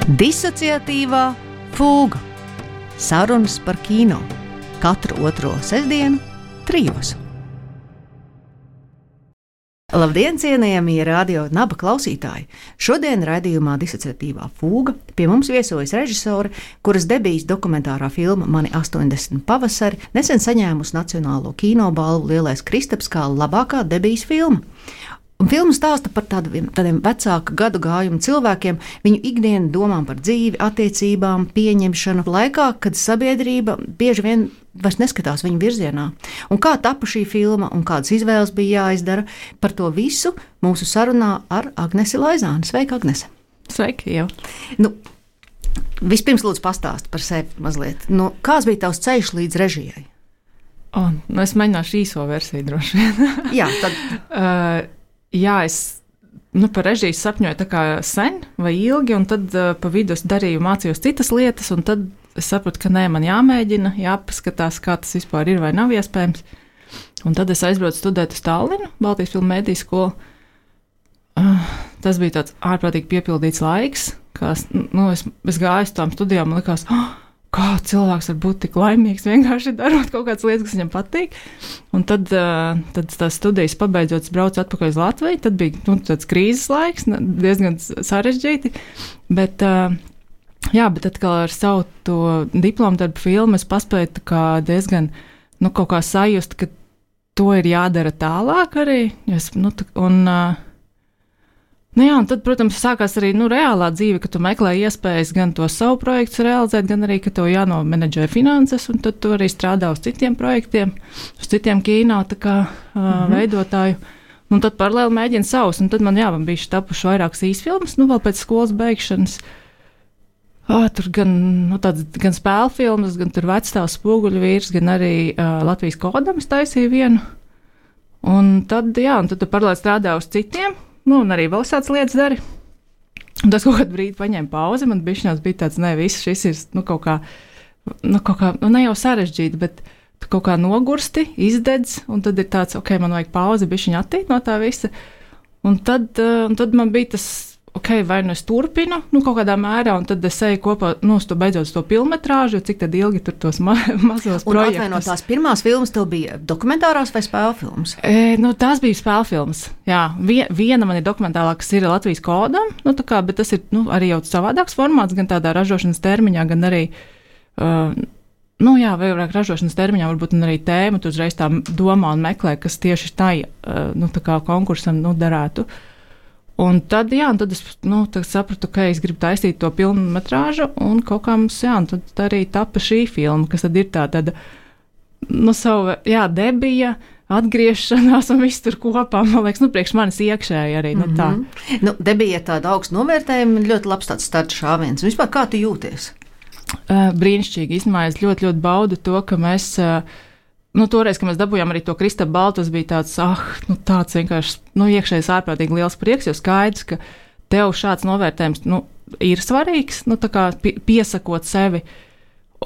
Disociatīvā fūga. Sarunas par kino. Katru otro sestdienu, 3. Labdien, cienījamie radio Naba klausītāji! Šodien raidījumā Disociatīvā fūga pie mums viesojas režisore, kuras debijas dokumentārā filma Mani 80 pavasari nesen saņēmusi Nacionālo kinobalvu Lielais Kristaps kā labākā debijas filma. Un filma stāsta par tādiem vecāku gadu gājumu cilvēkiem, viņu ikdienu domām par dzīvi, attiecībām, pieņemšanu laikā, kad sabiedrība bieži vien vairs neskatās viņu virzienā. Un kā tapa šī filma un kādas izvēles bija jāizdara, par to visu mūsu sarunā ar Agnesi Laizāni. Sveika, Agnese! Sveiki, jau! Vispirms lūdzu pastāst par sevi mazliet. Kāds bija tavs ceļš līdz režijai? Es mēģināšu īso versiju droši vien. Jā, tad... Jā, es par režiju sapņoju tā kā sen vai ilgi, un tad pa vidu es mācījos citas lietas, un tad es sapratu, ka nē, man jāmēģina, jāpaskatās, kā tas vispār ir vai nav iespējams. Un tad es aizbraucu studēt uz Tallinu, Baltijas filmu mediju skolu. Tas bija tāds ārprātīgi piepildīts laiks, kā es gāju uz tām studijām, man likās, kā cilvēks var būt tik laimīgs, vienkārši darot kaut kādas lietas, kas viņam patīk. Un tad tās studijas pabeidzot, es braucu atpakaļ uz Latviju. Tad bija tāds krīzes laiks, diezgan sarežģīti. Bet atkal ar savu to diplomu darbu filmu es paspēju diezgan kaut kā sajust, ka to ir jādara tālāk arī. Un tad, protams, sākās arī reālā dzīve, ka tu meklē iespējas gan to savu projektu realizēt, gan arī, ka tev jānomenedžē finanses, un tad tu arī strādā uz citiem projektiem, uz citiem kino veidotāju. Un tad paralēli mēģina savus, un tad man bija tapuši vairākas īsfilmas, vēl pēc skolas beigšanas. Tur gan spēļu filmas, gan tur Vecstāvs Spoguļu vīrs, gan arī Latvijas kodam es taisīju vienu. Un tad tu paralēli strādā uz citiem. Un arī vēl tādas lietas dari. Un tas kaut kādu brīdi paņēma pauzi. Man bija tāds, šis ir kaut kā, ne jau sarežģīti, bet tu kaut kā nogursti, izdedz, un tad ir tāds, man vajag pauzi, bišķiņ attīt no tā visa. Un tad man bija tas, vai es turpinu, kaut kādā mērā, un tad es eju kopā, beidzot to filmetrāžu, cik tad ilgi tur tos mazos projektus. Un atvainot, tās pirmās filmas tev bija dokumentārās vai spēļu filmas? Tās bija spēļu filmas, jā. Viena man ir dokumentālā, kas ir Latvijas kodam, bet tas ir, arī jau savādāks formāts, gan tādā ražošanas termiņā, gan arī, vairāk ražošanas termiņā, varbūt arī tēma, tu uzreiz tā domā un meklē, kas tieši tā konkursam, derētu. Un tad es sapratu, ka es gribu taisīt to filmetrāžu, un kaut kā mums, tad arī tapa šī filma, kas tad ir tāda, debija, atgriešanās un viss tur kopā, man liekas, priekš manis iekšēji arī, tā. Debija ir tāda augsta novērtējuma, ļoti labs tāds starta šāviens. Vispār kā tu jūties? Brīnišķīgi, īstenībā es ļoti, ļoti baudu to, ka mēs... toreiz, kad mēs dabūjām arī to Kristapu balvu, tas bija tāds, tāds vienkārši, iekšējais ārprātīgi liels prieks, jo skaidrs, ka tev šāds novērtējums, ir svarīgs, piesakot sevi.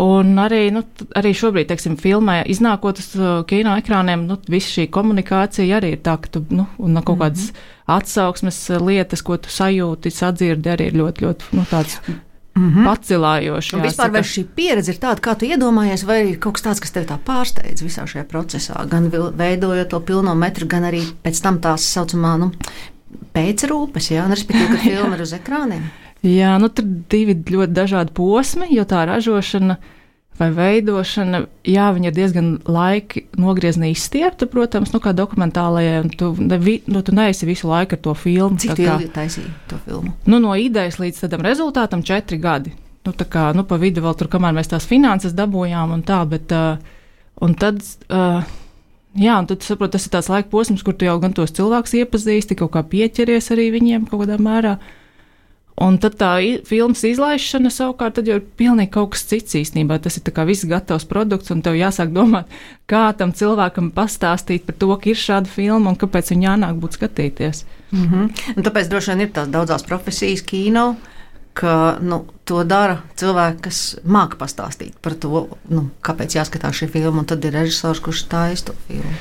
Un arī šobrīd, teiksim, filmē, iznākot uz kino ekrāniem, visa šī komunikācija arī ir tā, ka tu, un kaut kādas atsauksmes lietas, ko tu sajūti, sadzirdi, arī ir ļoti, ļoti, tāds... Pacilājoši. Vispār vai šī pieredze ir tāda, kā tu iedomājies, vai ir kaut kas tāds, kas tev tā pārsteidz visā šajā procesā, gan veidojot to pilno metru, gan arī pēc tam tās saucamā, pēcrūpes, respektīvi, ka filma ir uz ekrāniem? Jā, tur divi ļoti dažādi posmi, jo tā ražošana vai veidošana, viņa ir diezgan laiki nogriezni izstiepta, protams, kā dokumentālajai, un tu neesi visu laiku ar to filmu. Cik ilgi taisīji to filmu? No idejas līdz tādam rezultātam 4 gadi. Pa vidu vēl tur, kamēr mēs tās finanses dabūjām un tā, bet, un tad saprot, tas ir tāds laika posms, kur tu jau gan tos cilvēkus iepazīsti, kaut kā pieķeries arī viņiem kaut kādā mērā. Un tad tā filmas izlaišana savukārt tad jau ir pilnīgi kaut kas cits īstenībā. Tas ir tā kā viss gatavs produkts, un tev jāsāk domāt, kā tam cilvēkam pastāstīt par to, ka ir šāda filma un kāpēc viņu jānāk būt skatīties. Un tāpēc droši vien ir tās daudzās profesijas kino, ka to dara cilvēki, kas māca pastāstīt par to, kāpēc jāskatās šī filma, un tad ir režisors, kurš taisa to filmu.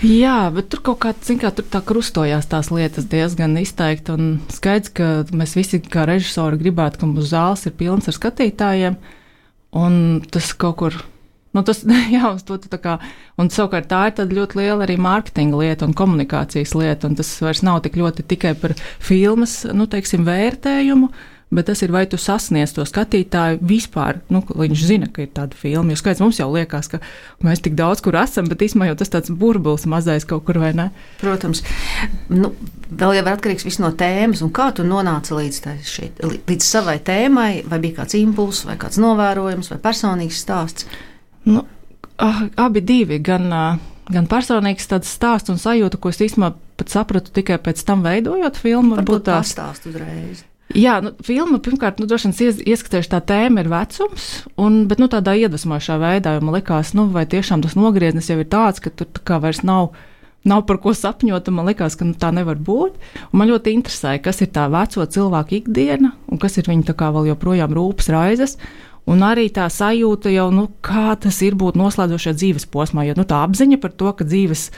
Jā, bet tur kaut kā, tur tā krustojās tās lietas diezgan izteikti. Un skaidrs, ka mēs visi kā režisori gribētu, ka mūsu zāles ir pilns ar skatītājiem. Un tas kaut kur, jā, uz to tā kā, un savukārt tā ir tāda ļoti liela arī mārketinga lieta un komunikācijas lieta. Un tas vairs nav tik ļoti tikai par filmas, teiksim, vērtējumu, bet tas ir, vai tu sasniedz to skatītāju vispār, viņš zina, ka ir tāda filma. Jo skaidrs, mums jau liekas, ka mēs tik daudz kur esam, bet īstenībā jau tas tāds burbulis mazais kaut kur, vai ne? Protams. Vēl jau ir atkarīgs viss no tēmas, un kā tu nonāci līdz savai tēmai, vai bija kāds impulss, vai kāds novērojums, vai personīgs stāsts? Abi divi, gan personīgs tāds stāsts un sajūta, ko es īstenībā pat sapratu tikai pēc tam veidojot filmu. Varbūt tā stāst uzreiz. Jā, filma pirmkārt, droši vien ieskatējuši tā tēma ir vecums, bet tādā iedvesmošā veidā, jo man likās, vai tiešām tas nogrieznis jau ir tāds, ka tur tā kā vairs nav par ko sapņot, un man likās, ka tā nevar būt. Un man ļoti interesēja, kas ir tā veco cilvēku ikdiena, un kas ir viņa tā kā vēl joprojām rūpes raizes, un arī tā sajūta jau, kā tas ir būt noslēdzošajā dzīves posmā, jo tā apziņa par to, ka dzīves,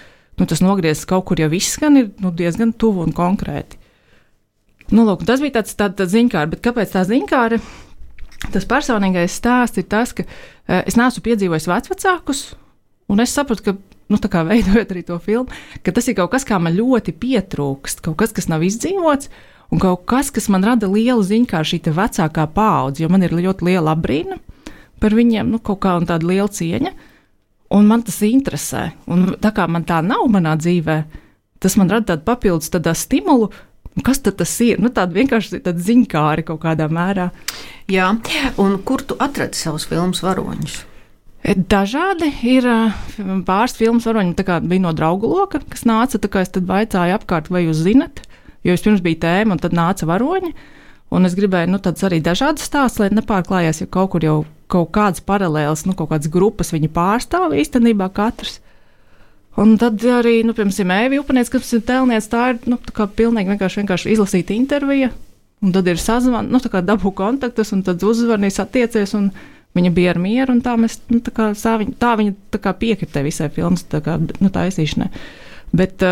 tas nogrieznis kaut kur jau izskan, ir diezgan tuvu un konkrēti. Lūk, tas bija tāds ziņkāri, bet kāpēc tā ziņkāri? Tas personīgais stāsts ir tas, ka es neesmu piedzīvojis vecvecākus, un es sapratu, ka, tā kā veidojot arī to filmu, ka tas ir kaut kas, kā man ļoti pietrūkst, kaut kas, kas nav izdzīvots, un kaut kas, kas man rada lielu ziņkāri šī te vecākā paudze, jo man ir ļoti liela apbrīna par viņiem, kaut kā un tāda liela cieņa, un man tas interesē, un tā kā man tā nav manā dzīvē, tas man rada tādu papildus stimulu. Kas tad tas ir? Tāda vienkārši tāda ziņkāri kaut kādā mērā. Jā, un kur tu atradi savus filmas varoņus? Dažādi ir pāris filmas varoņi, bija no draugu loka, kas nāca, es tad vaicāju apkārt, vai jūs zinat, jo vispirms bija tēma, un tad nāca varoņi, un es gribēju, tāds arī dažādas stāsts, lai nepārklājās, jo kaut kur jau kaut kādas paralēlas, kaut kādas grupas viņi pārstāv īstenībā katrs. Un tad arī, piemēram, Ēvi Upaniec, kas ir tēlniec, tā ir, tā kā pilnīgi vienkārši izlasīta intervija, un tad ir sazvan, tā kā dabū kontaktus, un tad uzvarnīs attiecies, un viņa bija ar mieru, un tā mēs, tā viņa tā kā piekritē visai filmas, taisīšanai. Bet,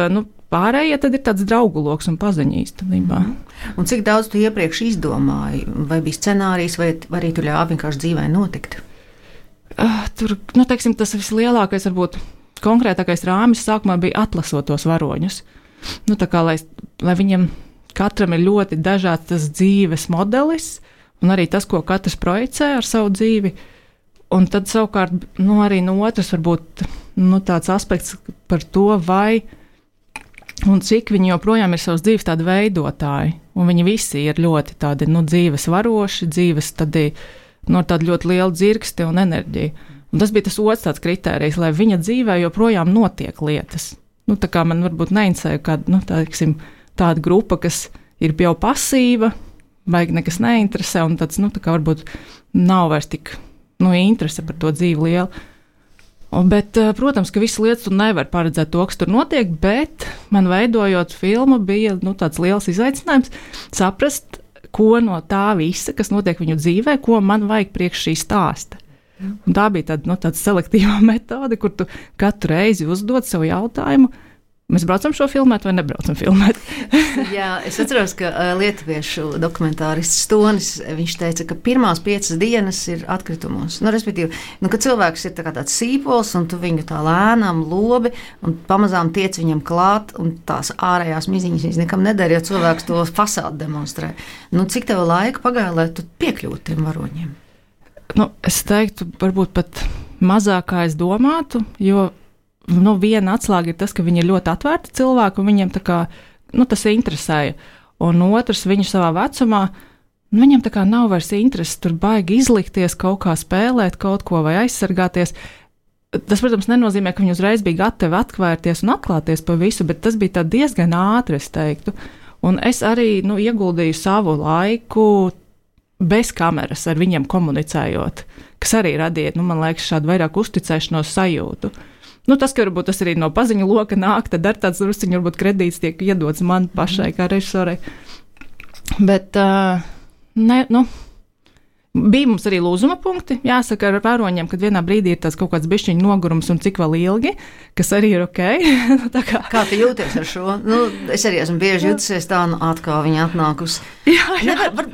pārējie tad ir tāds draugu loks un paziņa īstenībā. Un cik daudz tu iepriekš izdomāji, vai bija scenārijs, vai arī tu ļāvi vienkārši dzīvē notikt? Tur, teiksim, tas vislielākais varbūt konkrētākais rāmis sākumā bija atlasot tos varoņus. Tā kā, lai viņiem katram ir ļoti dažāds tas dzīves modelis, un arī tas, ko katrs projicē ar savu dzīvi. Un tad savukārt, arī no otras varbūt tāds aspekts par to, vai un cik viņi joprojām ir savas dzīves tādi veidotāji. Un viņi visi ir ļoti tādi, dzīves varoši, dzīves tādi, tādi ļoti liela dzirksti un enerģija. Un tas bija tas otrs tāds kritērijs, lai viņa dzīvē joprojām notiek lietas. Tā kā man varbūt neinteresē kāda, tāda grupa, kas ir jau pasīva, vai nekas neinteresē, un tāds, tā kā varbūt nav vairs tik, interese par to dzīvi liela. Bet, protams, ka visas lietas tu nevar paredzēt to, kas tur notiek, bet man veidojot filmu bija, tāds liels izaicinājums saprast, ko no tā visa, kas notiek viņu dzīvē, ko man vajag priekš šī stāsta. Un tā bija tāda selektīva metode, kur tu katru reizi uzdod sev jautājumu, mēs braucam šo filmēt vai nebraucam filmēt. Jā, es atceros, ka lietuviešu dokumentārists Stonis, viņš teica, ka pirmās 5 dienas ir atkritumos. Respektīvi, kad cilvēks ir tāds sīpols, un tu viņu tā lēnām lobi, un pamazām tiec viņam klāt, un tās ārējās miziņas viņas nekam nedara, jo cilvēks to fasādu demonstrē. Cik tev laika pagāja, lai tu piekļūtu tiem varoņiem? Es teiktu, varbūt pat mazāk kā es domātu, jo viena atslēga ir tas, ka viņi ir ļoti atvērti cilvēki, un viņiem tā kā, tas interesēja. Un otrs, viņi savā vecumā, viņiem tā kā nav vairs interesi tur baigi izlikties, kaut kā spēlēt kaut ko vai aizsargāties. Tas, protams, nenozīmē, ka viņi uzreiz bija gatavi atvērties un atklāties pa visu, bet tas bija tā diezgan ātri, es teiktu. Un es arī, ieguldīju savu laiku bez kameras ar viņiem komunicējot, kas arī radīja, man liekas, šādu vairāk uzticēšanos sajūtu. Tas, ka varbūt tas arī no paziņu loka nāk, tad ar tāds drusciņu varbūt kredīts tiek iedots man pašai kā režisorei. Bet, Bija mums arī lūzuma punkti, jāsaka, ar varoņiem, kad vienā brīdī ir tāds kaut kāds bišķiņu nogurums un cik vēl ilgi, kas arī ir ok. Kā tu jūties ar šo? Es arī esmu bieži jutusies tā, atkal viņa atnākusi. Jā.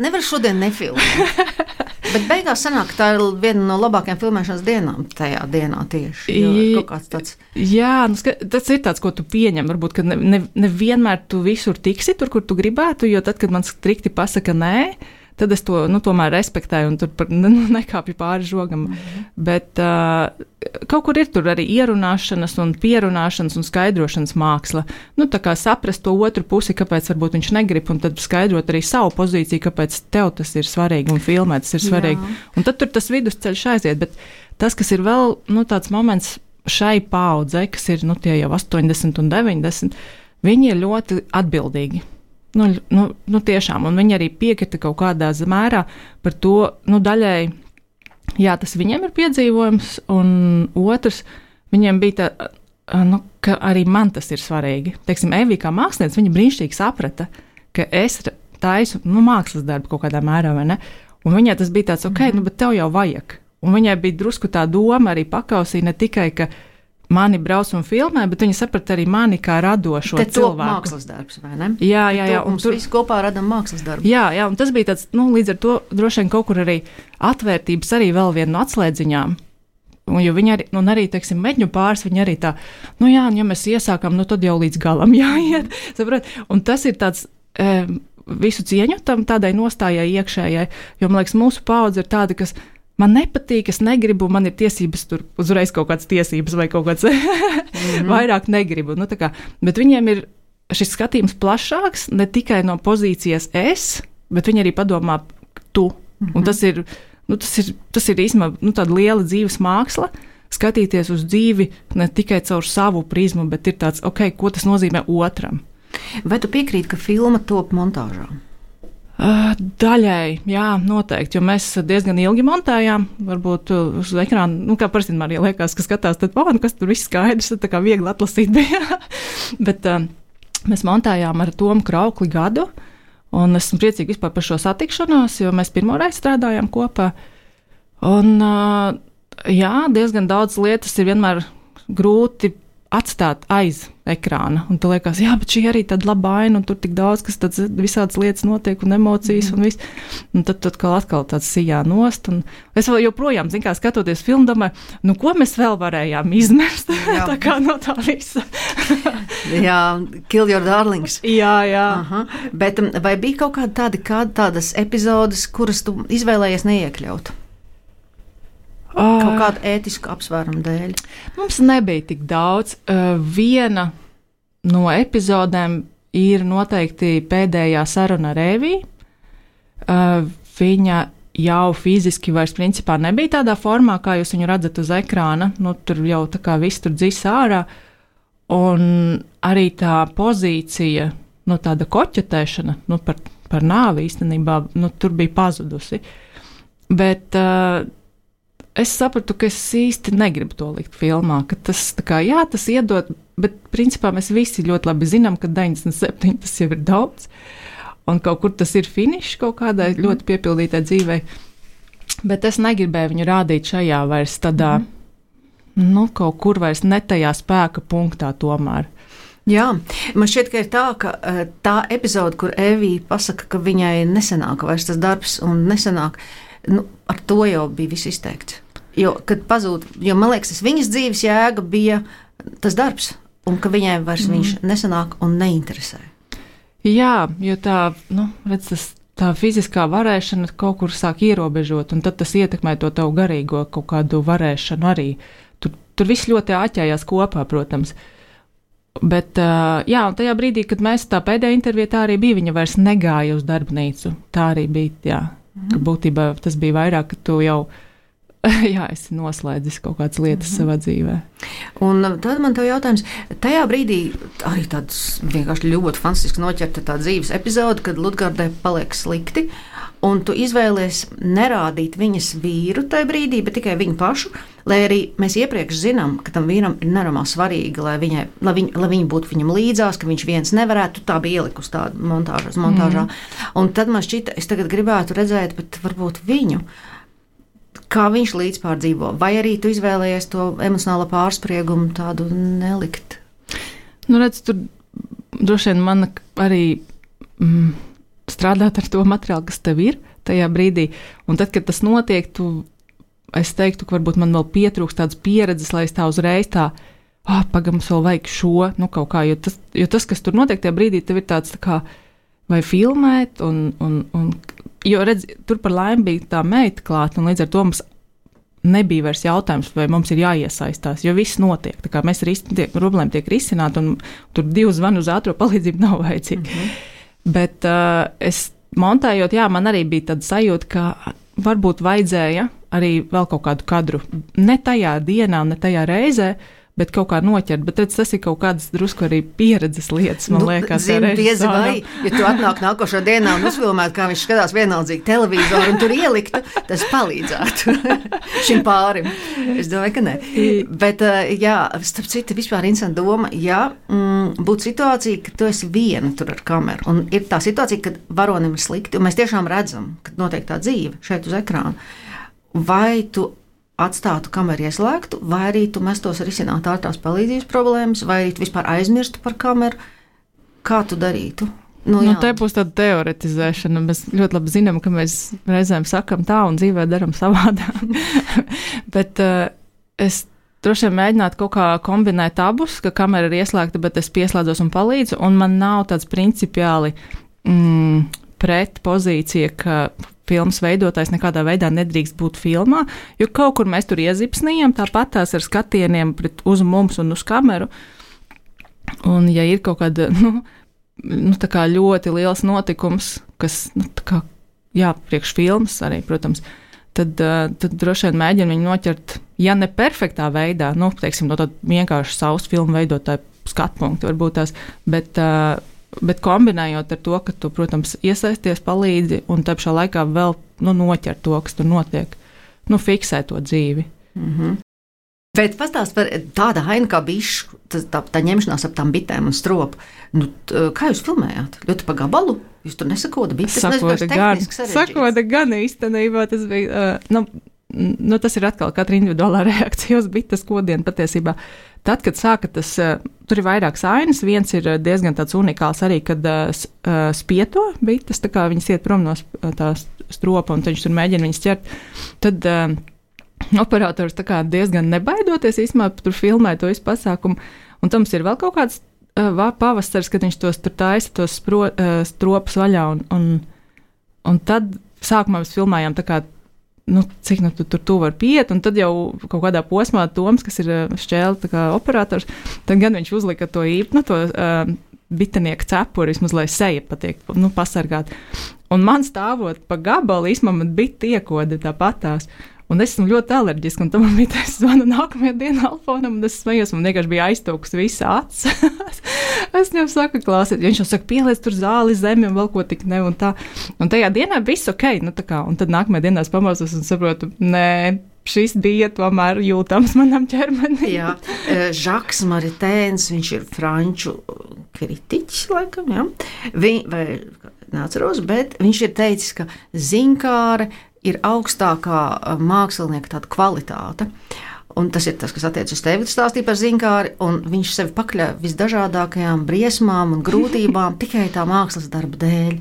Nevar šodien nefilmēt. Bet beigās sanāk, ka tā ir viena no labākajām filmēšanas dienām tajā dienā tieši. Kaut kāds tāds. Jā, tas ir tāds, ko tu pieņem. Varbūt, ka nevienmēr tu visur tiksi tur, kur tu gribētu, jo tad, kad man strikti pasaka nē, tad es to tomēr respektēju un tur nekāpju pāri žogam. Bet kaut kur ir tur arī ierunāšanas un pierunāšanas un skaidrošanas māksla. Tā kā saprast to otru pusi, kāpēc varbūt viņš negrib, un tad skaidrot arī savu pozīciju, kāpēc tev tas ir svarīgi un filmēt tas ir svarīgi. Jā. Un tad tur tas vidusceļš aiziet. Bet tas, kas ir vēl tāds moments šai paudzei, kas ir tie jau 80 un 90, viņi ir ļoti atbildīgi. Tiešām, un viņi arī piekrita kaut kādā mērā par to, daļai, jā, tas viņiem ir piedzīvojums, un otrs, viņiem bija tā, ka arī man tas ir svarīgi. Teiksim, Evija kā mākslinieca, viņa brīnišķīgi saprata, ka es taisu, mākslas darbu kaut kādā mērā, vai ne? Un viņai tas bija tāds, ok, bet tev jau vajag. Un viņai bija drusku tā doma arī pakausī, ne tikai, ka mani brauc un filmē, bet viņi saprata arī mani kā radošo cilvēku. Te mākslas darbs, vai ne? Jā. Un tur visi kopā radam mākslas darbu. Jā, un tas bija tāds, līdz ar to droši vien kaut kur arī atvērtības arī vēl viena no atslēdziņām. Jo viņi arī, arī, teiksim, Meģņu pāris, viņi arī tā, ja mēs iesākam, tad jau līdz galam jāiet, saprot? Un tas ir tāds visu cieņu tam tādai nostājai iekšējai, jo, man liekas, mūsu paudze ir tāda, kas man nepatīk, es negribu, man ir tiesības tur uzreiz kaut kādas tiesības vai kaut kāds vairāk negribu. Bet viņiem ir šis skatījums plašāks, ne tikai no pozīcijas es, bet viņi arī padomā tu. Un tas ir īstenībā tāda liela dzīves māksla, skatīties uz dzīvi ne tikai caur savu prizmu, bet ir tāds, ok, ko tas nozīmē otram. Vai tu piekrīti, ka filma top montāžā? Daļai, jā, noteikti, jo mēs diezgan ilgi montējām, varbūt uz ekrāna, kā parasti man arī liekas, ka skatās, tad, kas tur viss skaidrs, tad tā kā viegli atlasīt bija. Bet mēs montējām ar Tomu Kraukli gadu, un esmu priecīgi vispār par šo satikšanos, jo mēs pirmoreiz strādājām kopā. Un, jā, diezgan daudz lietas ir vienmēr grūti atstāt aiz ekrāna. Un tu liekas, jā, bet šī arī tāda laba aina, un tur tik daudz, kas tāds visādas lietas notiek, un emocijas, un viss. Un tad atkal tāds sijā nost. Un es vēl joprojām, skatoties filmu, domāju, ko mēs vēl varējām izmest? Tā kā no tā visa. Jā, kill your darlings. Jā. Aha. Bet vai bija kaut tādas epizodes, kuras tu izvēlējies neiekļaut? Kaut kādu ētisku apsvērumu dēļ. Mums nebija tik daudz. Viena no epizodēm ir noteikti pēdējā saruna ar Eviju. Viņa jau fiziski vairs principā nebija tādā formā, kā jūs viņu redzat uz ekrāna. Tur jau tā kā viss tur dzis ārā. Un arī tā pozīcija, tāda koķetēšana, par nāvi īstenībā, tur bija pazudusi. Bet es sapratu, ka es īsti negribu to likt filmā, ka tas iedod, bet principā mēs visi ļoti labi zinām, ka 97 tas jau ir daudz, un kaut kur tas ir finišs kaut kādai ļoti piepildītai dzīvei, bet es negribēju viņu rādīt šajā vairs tādā, kaut kur vairs ne tajā spēka punktā tomēr. Jā, man šķiet, ka ir tā, ka tā epizode, kur Evija pasaka, ka viņai nesanāk vairs tas darbs un nesanāk, ar to jau bija viss izteikts. Jo, kad pazūd, man liekas, viņas dzīves jēga bija tas darbs, un ka viņai vairs viņš nesanāk un neinteresē. Jā, jo tā fiziskā varēšana kaut kur sāk ierobežot, un tad tas ietekmē to tavu garīgo kaut kādu varēšanu arī. Tur viss ļoti āķējās kopā, protams. Bet, jā, un tajā brīdī, kad mēs tā pēdējā intervijā tā arī bija, viņa vairs negāja uz darbnīcu. Tā arī bija, jā, ka būtībā tas bija vairāk, ka tu jau, jā, esi noslēdzis kaut kādas lietas savā dzīvē. Un tad man tev jautājums, tajā brīdī arī tāds vienkārši ļoti fantastiski noķerta tā dzīves epizode, kad Ludgardai paliek slikti, un tu izvēlies nerādīt viņas vīru tajā brīdī, bet tikai viņu pašu, lai arī mēs iepriekš zinām, ka tam vīram ir nenormāli svarīgi, lai viņa būtu viņam līdzās, ka viņš viens nevarētu, tā bija ielikusi tāda montāžā. Un tad man šķita, es tagad gribētu redzēt, bet varbūt viņu, kā viņš līdzpārdzīvo, vai arī tu izvēlējies to emocionālo pārspriegumu tādu nelikt? Nu, redz, tur droši vien man arī strādāt ar to materiālu, kas tev ir tajā brīdī. Un tad, kad tas notiek, es teiktu, ka varbūt man vēl pietrūkst tādas pieredzes, lai es tā uzreiz pagam, vēl vajag šo, kaut kā, jo tas, kas tur notiek tajā brīdī, tev ir tāds tā kā, vai filmēt, jo redz, tur par laimi bija tā meita klāt, un līdz ar to mums nebija vairs jautājums, vai mums ir jāiesaistās, jo viss notiek. Tā kā mēs problēma tiek risināta, un tur 2 zvanu uz ātro palīdzību nav vajadzīgi. Bet es montējot, man arī bija tāda sajūta, ka varbūt vajadzēja arī vēl kaut kādu kadru. Ne tajā dienā, ne tajā reizē, bet kaut kā noķert. Bet redz, tas ir kaut kādas drusku arī pieredzes lietas, man liekas. Zini, diez vai, ja tu atnāk nākošo dienā un uzfilmētu, kā viņš skatās vienaldzīgi televizoru un tur ieliktu, tas palīdzētu šim pārim. Es domāju, ka ne. Bet, starp citu, vispār interesanta doma, būtu situācija, ka tu esi viena tur ar kameru, un ir tā situācija, kad varonim ir slikti, un mēs tiešām redzam, ka notiek tā dzīve šeit uz ekrāna. Vai tu atstātu kameru ieslēgtu, vai arī tu mestos risināt ārtās palīdzības problēmas, vai arī tu vispār aizmirstu par kameru? Kā tu darītu? Te būs tāda teoretizēšana. Mēs ļoti labi zinām, ka mēs reizēm sakam tā un dzīvē daram savādāk. Bet es droši vien mēģinātu kaut kā kombinēt abus, ka kamera ir ieslēgta, bet es pieslēdzos un palīdzu, un man nav tāds principiāli pret pozīcija, ka filmas veidotājs nekādā veidā nedrīkst būt filmā, jo kaut kur mēs tur iezipsnījam, tāpat tās ar skatieniem uz mums un uz kameru. Un ja ir kaut kāda, tā kā ļoti liels notikums, kas, priekš filmas arī, protams, tad droši vien mēģina viņu noķert, ja ne perfektā veidā, teiksim, no tāda vienkārši savas filmu veidotāja skatpunkta varbūt tās, bet kombinējot ar to, ka tu, protams, iesaisties, palīdzi un te pašā laikā vēl noķer to, kas tur notiek, fiksē to dzīvi. Bet pastāst par tādu ainu kā bišu, tā ņemšanās ap tām bitēm un stropu. Kā jūs filmējāt? Ļoti pa gabalu? Jūs tur nesakoda bites? Sakoda gan īstenībā. Tas bija, tas ir atkal katra individuālā reakcija uz bites kodienu patiesībā. Tad, kad sāka tas, tur ir vairākas ainas, viens ir diezgan tāds unikāls arī, kad spieto bites, tā kā viņas iet prom no tā stropa un viņš tur mēģina viņas ķert, tad operators tā kā diezgan nebaidoties īstenībā tur filmē to visu pasākumu, un tam ir vēl kaut kāds pavasars, kad viņš tos tur taisa, tos stropus vaļā, un tad sākumā mēs filmējām tā kā cik tu var piet, un tad jau kaut kādā posmā Toms, kas ir šķēle tā kā operators, tad gan viņš uzlika to to bitenieku cepuri, vismaz, lai seja patiek, pasargāt. Un man stāvot pa gabalu, īstenībā man bita iekode tāpatās. Un es esmu ļoti alerģiska, un tam man bija tas zvanu nākamajā dienā Alfonam, un es smējos, man vienkārši bija aiztūks visa acis. Es viņam saku, klausiet, viņš jau saka, pieliec tur zāli zemi un vēl ko tik ne, un tā. Un tajā dienā viss ok, un tad nākamajā dienā es pamostos un saprotu, nē, šis bija tomēr jūtams manam ķermenim. Jā, Žaks Maritēns, viņš ir franču kritiķis, laikam, jā. Vai neatceros, bet viņš ir teicis, ka zinkāre ir augstākā mākslinieka tāda kvalitāte. Un tas ir tas, kas attiecas uz tevi, stāstīja par zinkāri, un viņš sevi pakļauj visdažādākajām briesmām un grūtībām tikai tā mākslas darba dēļ.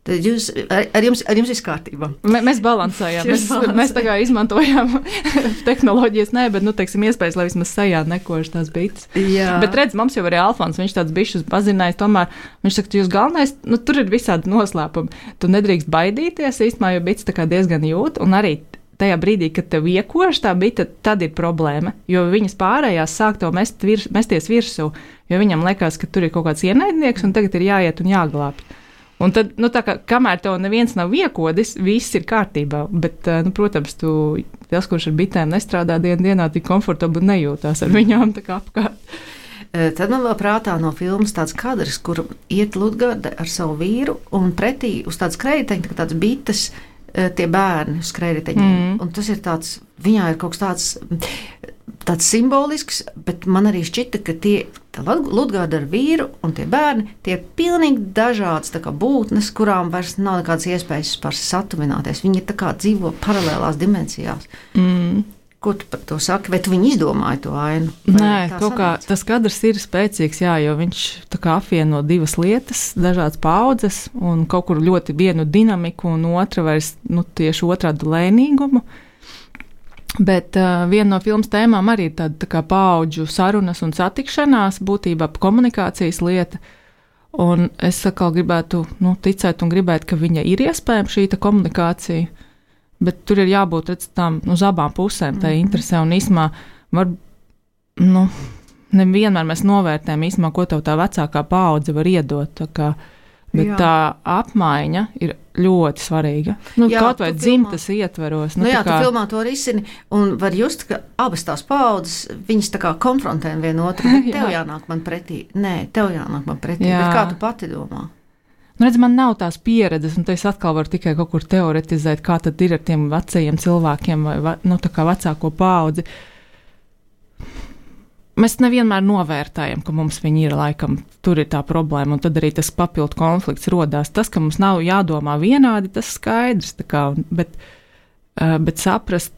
Tad ar jums viss kārtībā. Mēs balansējām, mēs tā kā izmantojām tehnoloģijas, bet, teiksim, iespējas, lai vismaz sejā nekož tās bites. Jā. Bet redz, mums jau arī Alfons, viņš tāds bišus pazinājis, tomēr viņš saka, jūs galvenais, tur ir visādi noslēpumi. Tu nedrīkst baidīties, īstenībā, jo bites tā kā diezgan jūt, un arī tajā brīdī, kad tev iekož tā bite, tad ir problēma, jo viņas pārējās sāk tev mesties virsū, jo viņam liekas, ka tur ir kaut kāds ienaidnieks, un tagad ir jāiet un jāglābj. Un tad, tā kā, kamēr tev neviens nav iekodis, viss ir kārtībā, bet, protams, tas, kurš ar bitēm nestrādā dienā, tik komfortabli nejūtās ar viņām tā kā apkārt. Tad man vēl prātā no filmas tāds kadrs, kur iet Lutgarde ar savu vīru un pretī uz tādas kreiteņa, tāds bites, tie bērni uz kreiteņiem. Un tas ir tāds, viņā ir kaut kas tāds simbolisks, bet man arī šķita, ka Lutgarde ar vīru un tie bērni, tie ir pilnīgi dažādas tā kā būtnes, kurām vairs nav nekādas iespējas par satuvināties. Viņi tā kā dzīvo paralēlās dimensijās. Ko tu par to saki? Vai tu viņi izdomāji to ainu? Nē, kaut kā tas kadrs ir spēcīgs, jā, jo viņš tā kā apvieno divas lietas, dažādas paudzes un kaut kur ļoti vienu dinamiku un otra vairs, tieši otrādu lēnīgumu. Bet viena no filmas tēmām arī ir tāda tā kā paudžu sarunas un satikšanās, būtībā komunikācijas lieta. Un es atkal gribētu ticēt un gribēt, ka viņa ir iespējama šī komunikācija. Bet tur ir jābūt tām uz abām pusēm, tā interesē un īsumā nevienmēr mēs novērtējam īsumā, ko tev tā vecākā paudze var iedot. Bet tā apmaiņa ir ļoti svarīga. Kaut vai dzimtas ietveros. Tu filmā to risini un var just, ka abas tās paudzes, viņas tā kā konfrontē vienu otru. Tev jānāk man pretī. Nē, tev jānāk man pretī. Bet kā tu pati domā? Man nav tās pieredzes, un es atkal varu tikai kaut kur teoretizēt, kā tad ir ar tiem vecajiem cilvēkiem vai tā kā vecāko paudzi. Mēs nevienmēr novērtējam, ka mums viņi ir, laikam, tur ir tā problēma, un tad arī tas papildu konflikts rodās. Tas, ka mums nav jādomā vienādi, tas skaidrs, bet saprast,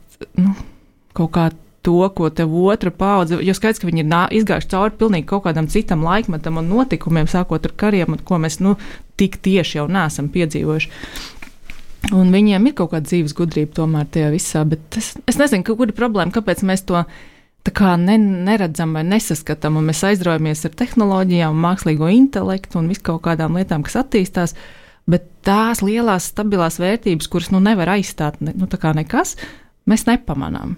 kaut kā to, ko tev otra paudze, jo skaidrs, ka viņi ir izgājuši cauri pilnīgi kaut kādam citam laikmetam un notikumiem, sākot ar kariem, ko mēs, tik tieši jau neesam piedzīvojuši. Un viņiem ir kaut kāda dzīves gudrība tomēr tajā visā, bet es nezinu, kur ir problēma, kāpēc mēs to tā kā neredzam vai nesaskatām, un mēs aizraujamies ar tehnoloģijām, mākslīgo intelektu un visu kaut kādām lietām, kas attīstās, bet tās lielās stabilās vērtības, kuras nevar aizstāt, tā kā nekas, mēs nepamanām.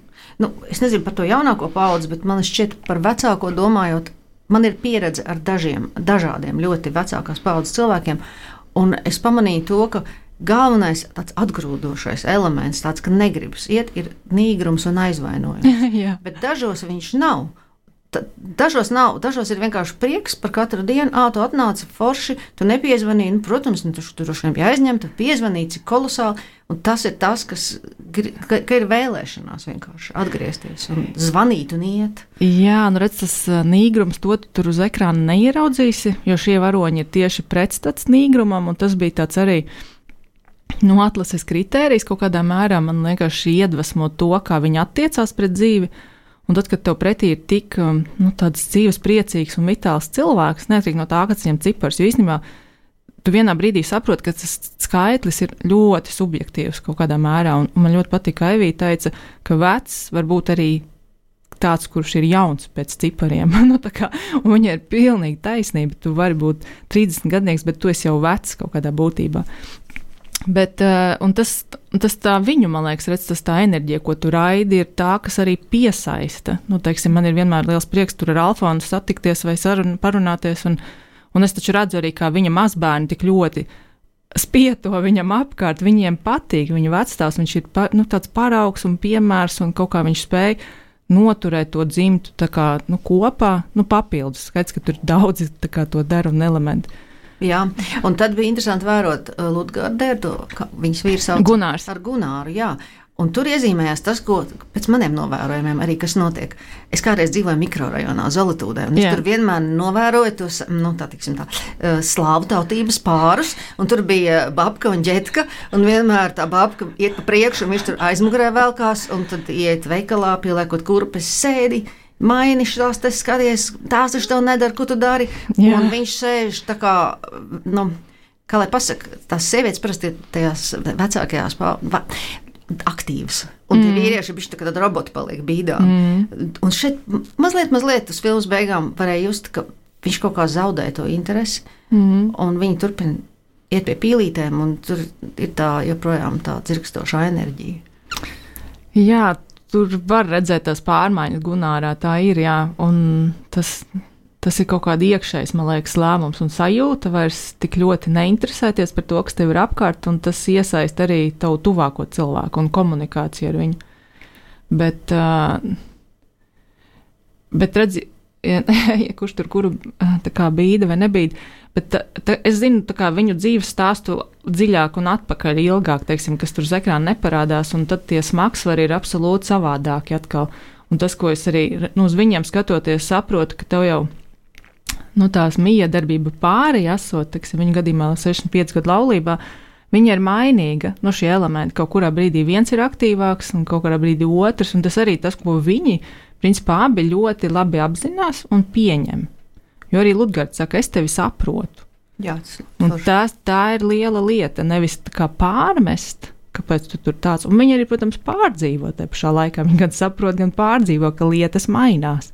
Es nezinu par to jaunāko paudzi, bet man šķiet par vecāko domājot, man ir pieredze ar dažādiem ļoti vecākās paudzes cilvēkiem, un es pamanīju to, ka galvenais tāds atgrūdošais elements, tāds, ka negribas iet, ir nīgrums un aizvainojums. Bet dažos viņš nav. Dažos nav, dažos ir vienkārši prieks par katru dienu. Tu atnāci forši, tu nepiezvanīji, protams, tu droši vien bija aizņemta, piezvanīji, cik kolosāli, un tas ir tas, ka ir vēlēšanās vienkārši atgriezties un zvanīt un iet. Jā, redz, tas nīgrums, to tu tur uz ekrāna neieraudzīsi, jo šie varoņi ir tieši pretstats nīgrumam, un tas bija tāds arī atlases kritērijs kaut kādā mērā, man vienkārši iedvesmo to, kā viņi attiecās pret dzīvi. Un tad, kad tev pretī ir tik tāds dzīves priecīgs un vitāls cilvēks, neatkarīgi no tā, kas viņam cipars, jo īstenībā tu vienā brīdī saproti, ka tas skaitlis ir ļoti subjektīvs kaut kādā mērā, un man ļoti patīk, ka Aivija teica, ka vecs var būt arī tāds, kurš ir jauns pēc cipariem. Un viņa ir pilnīgi taisnība, tu vari būt 30 gadnieks, bet tu esi jau vecs kaut kādā būtībā. Bet, tas tā viņu, man liekas, redz, tas tā enerģija, ko tu raidi, ir tā, kas arī piesaista. Teiksim, man ir vienmēr liels prieks tur ar Alfonsu satikties vai parunāties, un es taču redzu arī, kā viņa mazbērni tik ļoti spieto viņam apkārt, viņiem patīk, viņa vecstāvs, viņš ir tāds paraugs un piemērs, un kaut kā viņš spēja noturēt to dzimtu tā kā, kopā, papildus. Skaidrs, ka tur daudzi tā kā to dara un elementi. Jā, un tad bija interesanti vērot Lutgarde, viņas vīrs sauc Gunārs. Ar Gunāru, jā. Un tur iezīmējās tas, ko pēc maniem novērojumiem arī, kas notiek. Es kādreiz dzīvoju mikrorajonā, Zolitūdē, un es tur vienmēr novēroju tos, slāvu tautības pārus, un tur bija babka un ģetka, un vienmēr tā babka iet pa priekšu, un viņš tur aizmugurē velkās, un tad iet veikalā, pieliekot kurpes sēdi, maini šās, te skaties, tās taču tev nedara, ko tu dari. Jā. Un viņš sēž tā kā, kā lai pasaka, tās sievietes parasti tajās vecākajās aktīvas. Un tie vīrieši bišķi tā kā tad roboti paliek bīdā. Un šeit mazliet uz filmas beigām varēja just, ka viņš kaut kā zaudē to interesi, un viņi turpina iet pie pīlītēm, un tur ir tā joprojām tā dzirkstošā enerģija. Jā, tur var redzēt tās pārmaiņas Gunārā, tā ir, jā, un tas ir kaut kāda iekšējs, man liekas, lēmums un sajūta vairs tik ļoti neinteresēties par to, kas tev ir apkārt, un tas iesaist arī tavu tuvāko cilvēku un komunikāciju ar viņu. Bet redzi, kurš tur kuru tā kā bīda vai nebīda. Bet es zinu viņu dzīves stāstu dziļāk un atpakaļ ilgāk, teiksim, kas tur uz ekrāna neparādās, un tad tie smagsvari ir absolūti savādāki atkal. Un tas, ko es arī uz viņiem skatoties, saprotu, ka tev jau tās miedarbība pāri esot, teiksim, viņu gadījumā 65 gadu laulībā, viņa ir mainīga. Šie elementi kaut kurā brīdī viens ir aktīvāks un kaut kurā brīdī otrs, un tas arī tas, ko viņi, principā, abi ļoti labi apzinās un pieņem. Jo arī Ludgards saka, es tevi saprotu. Jā, tā ir liela lieta, nevis tā kā pārmest, kāpēc tu tur tāds. Un viņi arī, protams, pārdzīvo te pašā laikā. Viņi gan saprot, gan pārdzīvo, ka lietas mainās.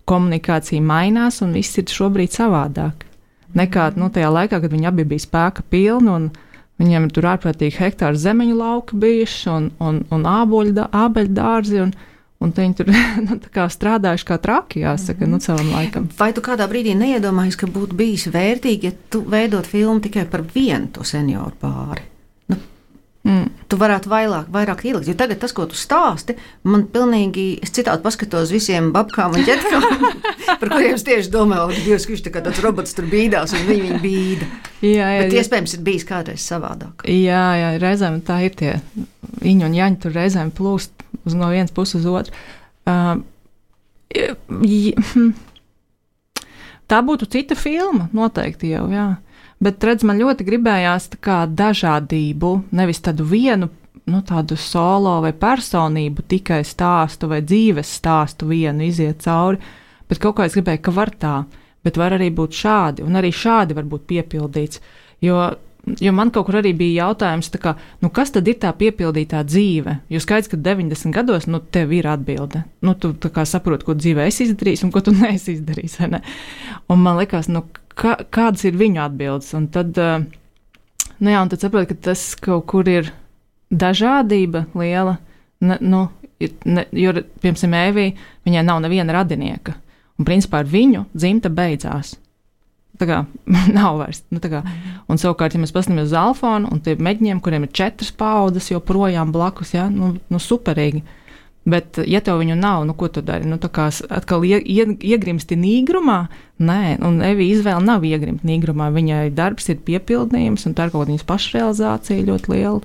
Komunikācija mainās un viss ir šobrīd savādāk. Nekā tajā laikā, kad viņi abi bija spēka pilni un viņiem tur ārprātīgi hektāru zemeņu lauki bijuši un ābeļu dārzi un viņi tur strādājuši kā traki, jāsaka, savam laikam. Vai tu kādā brīdī neiedomājies, ka būtu bijis vērtīgi, ja tu veidot filmu tikai par vienu to senioru pāri? Tu varētu vairāk ielikt, jo tagad tas, ko tu stāsti, man pilnīgi, es citādi paskatos visiem babkām un ģetkām, par kuriem es tieši domāju, Dievs, ka viņš tā kā tāds robots tur bīdās un viņi bīda. Jā, bet iespējams ir bijis kādreiz savādāk. Jā, reizēm tā ir tie Iņu un Jaņi tur reizēm plūst no vienas puses uz otru. Tā būtu cita filma, noteikti jau, jā. Bet, redz, man ļoti gribējās tā kā dažādību, nevis tādu vienu, tādu solo vai personību, tikai stāstu vai dzīves stāstu vienu iziet cauri, bet kaut kā es gribēju, ka var tā, bet var arī būt šādi, un arī šādi var būt piepildīts, jo man kaut kur arī bija jautājums, tā kā, kas tad ir tā piepildītā dzīve? Jo skaidrs, ka 90 gados, tev ir atbilde. Tu tā kā saproti, ko dzīvē esi izdarījis un ko tu neesi izdarījis, vai ne? Un man likās, kādas ir viņu atbildes? Un tad, un tad saproti, ka tas kaut kur ir dažādība liela, jo, piemēram, Evija, viņai nav neviena radinieka. Un principā ar viņu dzimta beidzās. Tā kā nav vairs. Un savukārt, ja mēs paskatāmies uz Alfonu un tiem meģņiem, kuriem ir 4 paudzes joprojām blakus, superīgi. Bet, ja tev viņu nav, ko tu dari? Tā kā atkal iegrimsti nīgrumā? Nē, un Evija izvēle nav iegrimt nīgrumā. Viņai darbs ir piepildījums, un tā ir kaut kāda viņas pašrealizācija ļoti liela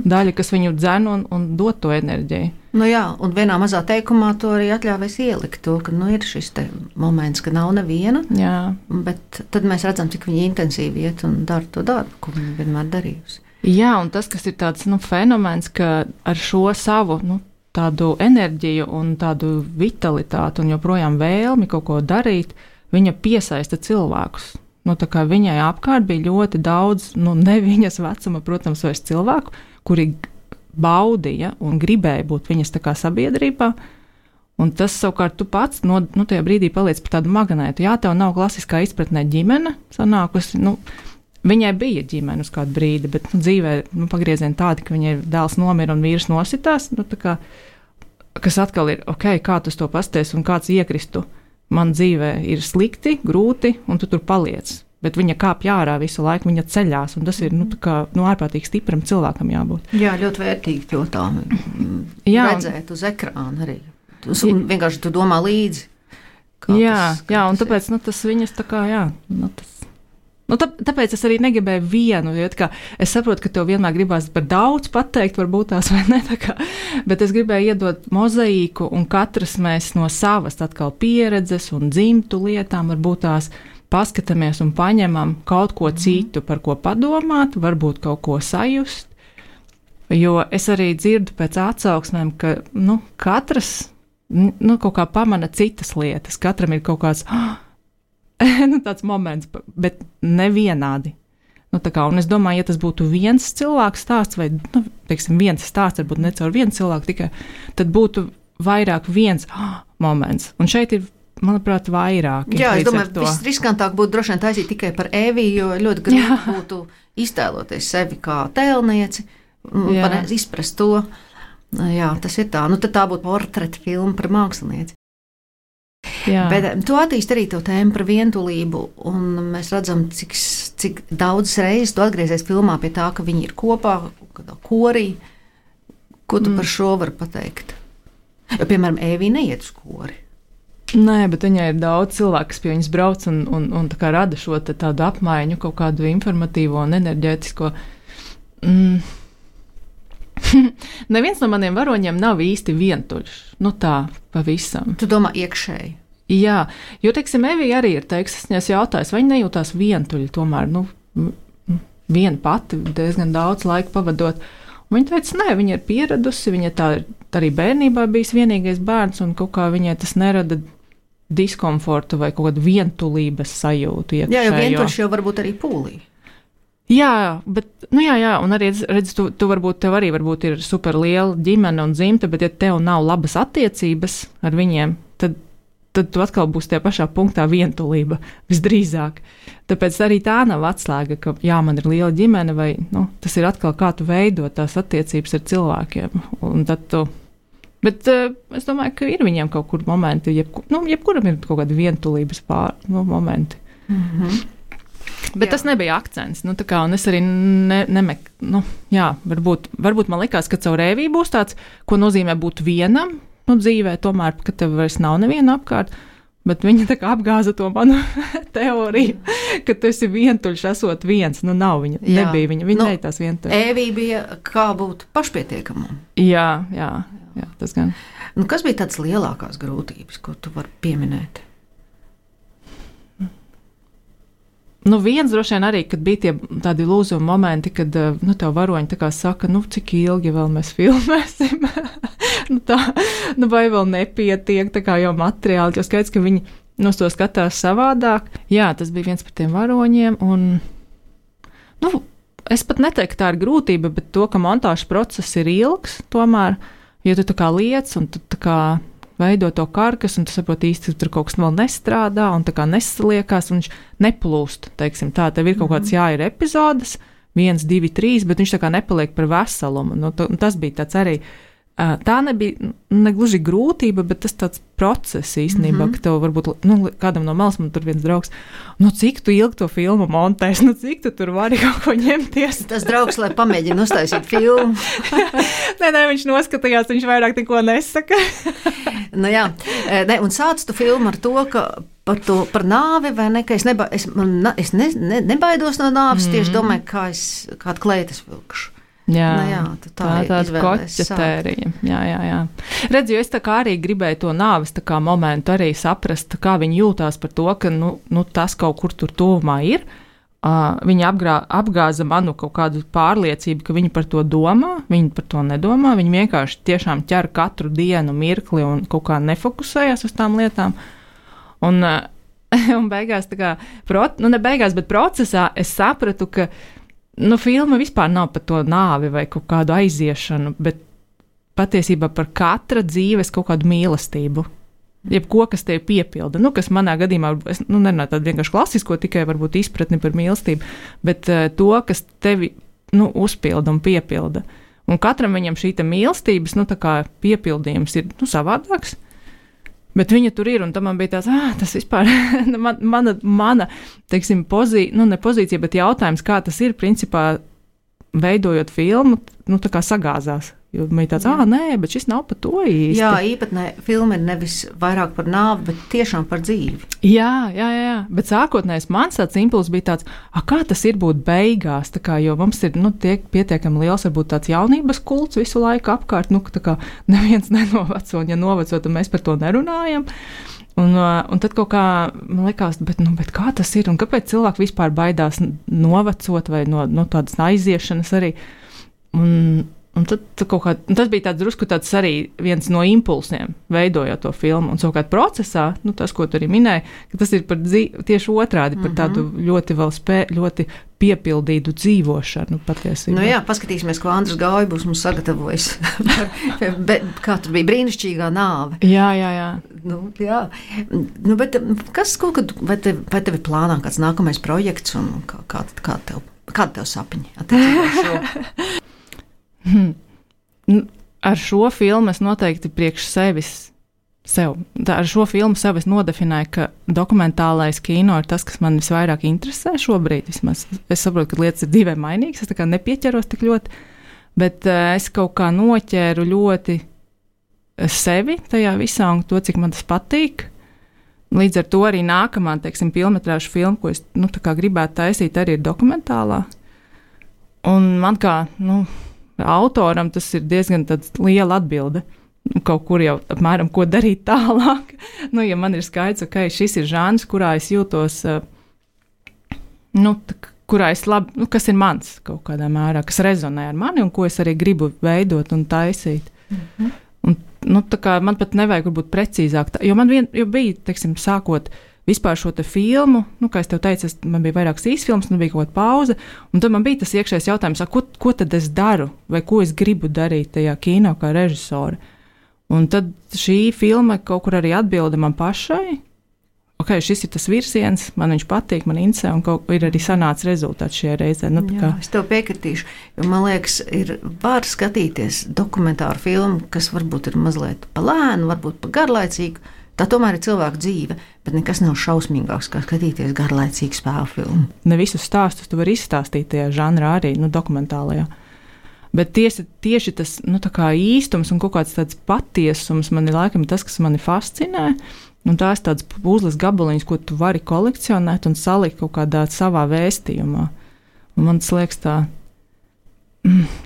daļa, kas viņu dzen un dod to enerģiju. Jā, un vienā mazā teikumā to arī atļāvēs ielikt to, ka ir šis te moments, ka nav neviena, jā. Bet tad mēs redzam, cik viņa intensīvi iet un dara to darbu, ko viņa vienmēr darījusi. Jā, un tas, kas ir tāds fenomens, ka ar šo savu tādu enerģiju un tādu vitalitāti un joprojām vēlmi kaut ko darīt, viņa piesaista cilvēkus. Tā kā viņai apkārt bija ļoti daudz, ne viņas vecuma, protams, vairs cilvēku, kuri baudīja un gribēja būt viņas tā kā sabiedrībā, un tas savukārt tu pats, tajā brīdī paliec par tādu magnētu. Jā, tev nav klasiskā izpratnē ģimene sanākusi, viņai bija ģimene uz kādu brīdi, bet dzīvē pagriezieni tādi, ka viņai dēls nomira un vīrs nositās, kas atkal ir, kā tu to pasties un kāds iekristu. Man dzīvē ir slikti, grūti, un tu tur paliec. Bet viņa kāpj ārā visu laiku, viņa ceļās, un tas ir ārprātīgi stipram cilvēkam jābūt. Jā, ļoti vērtīgi to tā redzēt uz ekrāna arī. Un vienkārši tu domā līdzi. Jā, un tāpēc tas viņas tā kā, tāpēc es arī negribēju vienu, jo es saprotu, ka tev vienmēr gribās par daudz pateikt, varbūt tās vai ne, bet es gribēju iedot mozaīku, un katrs mēs no savas atkal pieredzes un dzimtu lietām varbūt tās paskatāmies un paņemam kaut ko citu, par ko padomāt, varbūt kaut ko sajust, jo es arī dzirdu pēc atsauksmēm, ka katrs kaut kā pamana citas lietas, katram ir kaut kāds tāds moments, bet nevienādi. Un es domāju, ja tas būtu viens cilvēks stāsts, vai, viens stāsts, varbūt ne caur vienu cilvēku tikai, tad būtu vairāk viens moments. Un šeit ir, manuprāt, vairāk. Jā, es domāju, visriskantāk būtu droši vien taisīt tikai par Eviju, jo ļoti grūti būtu iztēloties sevi kā tēlnieci, izprast to. Jā, tas ir tā. Tad tā būtu portreta filma par mākslinieci. Jā. Bet tu attīsti arī to tēmu par vientulību, un mēs redzam, cik daudz reizes tu atgriezies filmā pie tā, ka viņi ir kopā, korī. Ko tu par šo vari pateikt? Jo, piemēram, Evija neiet uz kori. Nē, bet viņai ir daudz cilvēku, kas pie viņas brauc un tā kā rada šo tādu apmaiņu, kaut kādu informatīvo un enerģētisko. Neviens no maniem varoņiem nav īsti vientuļš. Nu tā, pavisam. Tu domā iekšēji? Jā, jo, teiksim, Evija arī ir es jautājis, vai viņa nejūtās vientuļi tomēr, viena pati diezgan daudz laika pavadot. Un viņa teica, nē, viņa ir pieradusi, viņa tā arī bērnībā bijis vienīgais bērns, un kaut kā viņai tas nerada diskomfortu vai kaut kādu vientulības sajūtu iekšējo. Jā, jo vienkārši jau varbūt arī pūlī. Jā, bet, jā, un arī, redz, tev arī varbūt ir super liela ģimene un dzimta, bet ja tev nav labas attiecības ar viņiem, tad tu atkal būsi tajā pašā punktā vientulība visdrīzāk. Tāpēc arī tā nav atslēga, ka jā, man ir liela ģimene, vai, tas ir atkal kā tu veido tās attiecības ar cilvēkiem, un tad tu. Bet es domāju, ka ir viņiem kaut kur momenti, jebkuram ir kaut kāda vientulības momenti. Mm-hmm. Bet jā. Tas nebija akcents, un es arī varbūt man likās, ka caur Eviju būs tāds, ko nozīmē būt vienam, dzīvē tomēr, ka tev vairs nav neviena apkārt, bet viņa tā kā apgāza to manu teoriju, ka tu esi vientuļš esot viens, nav viņa, nebija viņa neitās vientuļš. Evija bija kā būt pašpietiekamam. Jā, tas gan. Kas bija tāds lielākās grūtības, ko tu vari pieminēt? Viens droši vien arī, kad bija tādi lūzuma momenti, kad tev varoņi tā kā saka, cik ilgi vēl mēs filmēsim, vai vēl nepietiek, tā kā jau materiāli, jo skaidrs, ka viņi to skatās savādāk. Jā, tas bija viens par tiem varoņiem, un, es pat neteiktu, ka tā ir grūtība, bet to, ka montāžas process ir ilgs, tomēr, jo tu tā kā liec, un tu tā kā veido to karkas, un tu saproti īsti, ka tur kaut kas vēl nestrādā, un tā kā nesaliekās, un viņš neplūst, teiksim tā, tev ir kaut kāds ir epizodes, 1, 2, 3, bet viņš tā kā nepaliek par veselumu, tas bija tāds arī, tā nebija negluži grūtība, bet tas tāds process īstenībā, ka tev varbūt, kādam no malas man tur viens draugs, cik tu ilgi to filmu montēs, cik tu tur vari kaut ko ņemties. Tas draugs, lai pamēģina uztaisīt filmu. Nē, viņš noskatījās, viņš vairāk neko nesaka. Un sāc tu filmu ar to, ka par nāvi, vai ne, ka es nebaidos no nāves, tieši domāju, kādu kleitas vilkšu. Jā, tāda koķetērija. Jā. Redz, jo es tā kā arī gribēju to nāves tā kā momentu arī saprast, kā viņi jūtās par to, ka tas kaut kur tur tuvumā ir. Viņi apgāza manu kaut kādu pārliecību, ka viņi par to domā, viņi par to nedomā, viņi vienkārši tiešām ķer katru dienu mirkli un kaut kā nefokusējās uz tām lietām. Un beigās tā kā, ne beigās, bet procesā es sapratu, ka filma vispār nav par to nāvi vai kaut kādu aiziešanu, bet patiesībā par katra dzīves kaut kādu mīlestību. Jebko, kas tevi piepilda. Kas manā gadījumā, es nerunāju tādu vienkārši klasisko, tikai varbūt izpratni par mīlestību, bet to, kas tevi uzpilda un piepilda. Un katram viņam šī mīlestības tā kā piepildījums ir savādāks. Bet viņa tur ir, un tam man bija tāds, tas vispār, mana teiksim, ne pozīcija, bet jautājums, kā tas ir, principā, veidojot filmu, tā kā sagāzās. Jo man ir tāds, nē, bet šis nav par to īsti. Jā, īpatnē filma ir nevis vairāk par nāvi, bet tiešām par dzīvi. Jā, bet sākotnējs mans tāds impulss bija tāds, kā tas ir būt beigās, tā kā, jo mums ir, tiek pietiekami liels, varbūt tāds jaunības kults visu laiku apkārt, tā kā neviens nenoveco, un ja noveco, tad mēs par to nerunājam. Un tad kaut kā man likās, bet kā tas ir, un kāpēc cilvēki vispār baidās novecot vai no tādas aiziešanas arī. Un tad tas bija tāds drusku tāds arī viens no impulsiem, veidojot to filmu. Un savukārt procesā, tas, ko tu arī minēji, ka tas ir par tieši otrādi, par tādu ļoti ļoti piepildītu dzīvošanu patiesībā. Jā, paskatīsimies, ko Andris Gauja būs mums sagatavojis. Kā tur bija brīnišķīgā nāve. Jā. Jā. Bet vai tev ir plānā kāds nākamais projekts un kāda tev sapiņa attiecībā ar šo? Ar šo filmu es noteikti priekš sev. Ar šo filmu sev es nodefinēju, ka dokumentālais kino ir tas, kas man visvairāk interesē šobrīd. Vismaz. Es saprotu, ka lietas ir divai mainīgas, es tā kā nepieķeros tik ļoti, bet es kaut kā noķēru ļoti sevi tajā visā un to, cik man tas patīk. Līdz ar to arī nākamā, teiksim, pilnmetrāžu filma, ko es tā kā gribētu taisīt, arī ir dokumentālā. Un man kā autoram tas ir diezgan liela atbilde. Kaut kur jau apmēram, ko darīt tālāk. Ja man ir skaidrs, ka šis ir žanrs, kurā es jūtos, kurā es labi, kas ir mans kaut kādā mērā, kas rezonē ar mani un ko es arī gribu veidot un taisīt. Un, tā kā man pat nevajag būt precīzāk, jo man bija, teiksim, sākot vispār šo te filmu, kā es tev teicu, man bija vairākas īsfilmas, bija kaut kāda pauze, un tad man bija tas iekšējais jautājums, ko tad es daru, vai ko es gribu darīt tajā kino kā režisori. Un tad šī filma kaut kur arī atbilda man pašai, šis ir tas virziens, man viņš patīk, man interesē, un ir arī sanācis rezultāts šajā reizē. Jā, es tev piekritīšu, jo man liekas, var skatīties dokumentāru filmu, kas varbūt ir mazliet pa lēnu, varbūt pa garlaicīgu. Tā tomēr ir cilvēka dzīve, bet nekas nav šausmīgāks, kā skatīties garlaicīgu spēļu filmu. Ne visus stāstus tu vari izstāstīt tajā žanrā arī, dokumentālajā. Bet tieši tas tā kā īstums un kaut kāds tāds patiesums man ir laikam tas, kas mani fascinē. Un tās tādas puzles gabaliņas, ko tu vari kolekcionēt un salikt kaut kādā savā vēstījumā. Un man tas liekas tā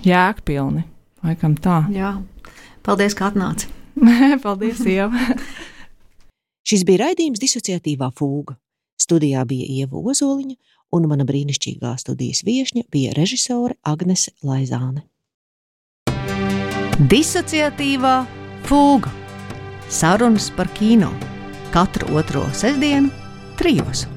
jēgpilni, laikam tā. Jā, paldies, ka atnāci. Paldies, Ieva. Šis bija raidījums Disociatīvā fūga. Studijā bija Ieva Ozoliņa un mana brīnišķīgā studijas viešņa bija režisore Agnese Laizāne. Disociatīvā fūga. Sarunas par kino. Katru otro sestdienu 3.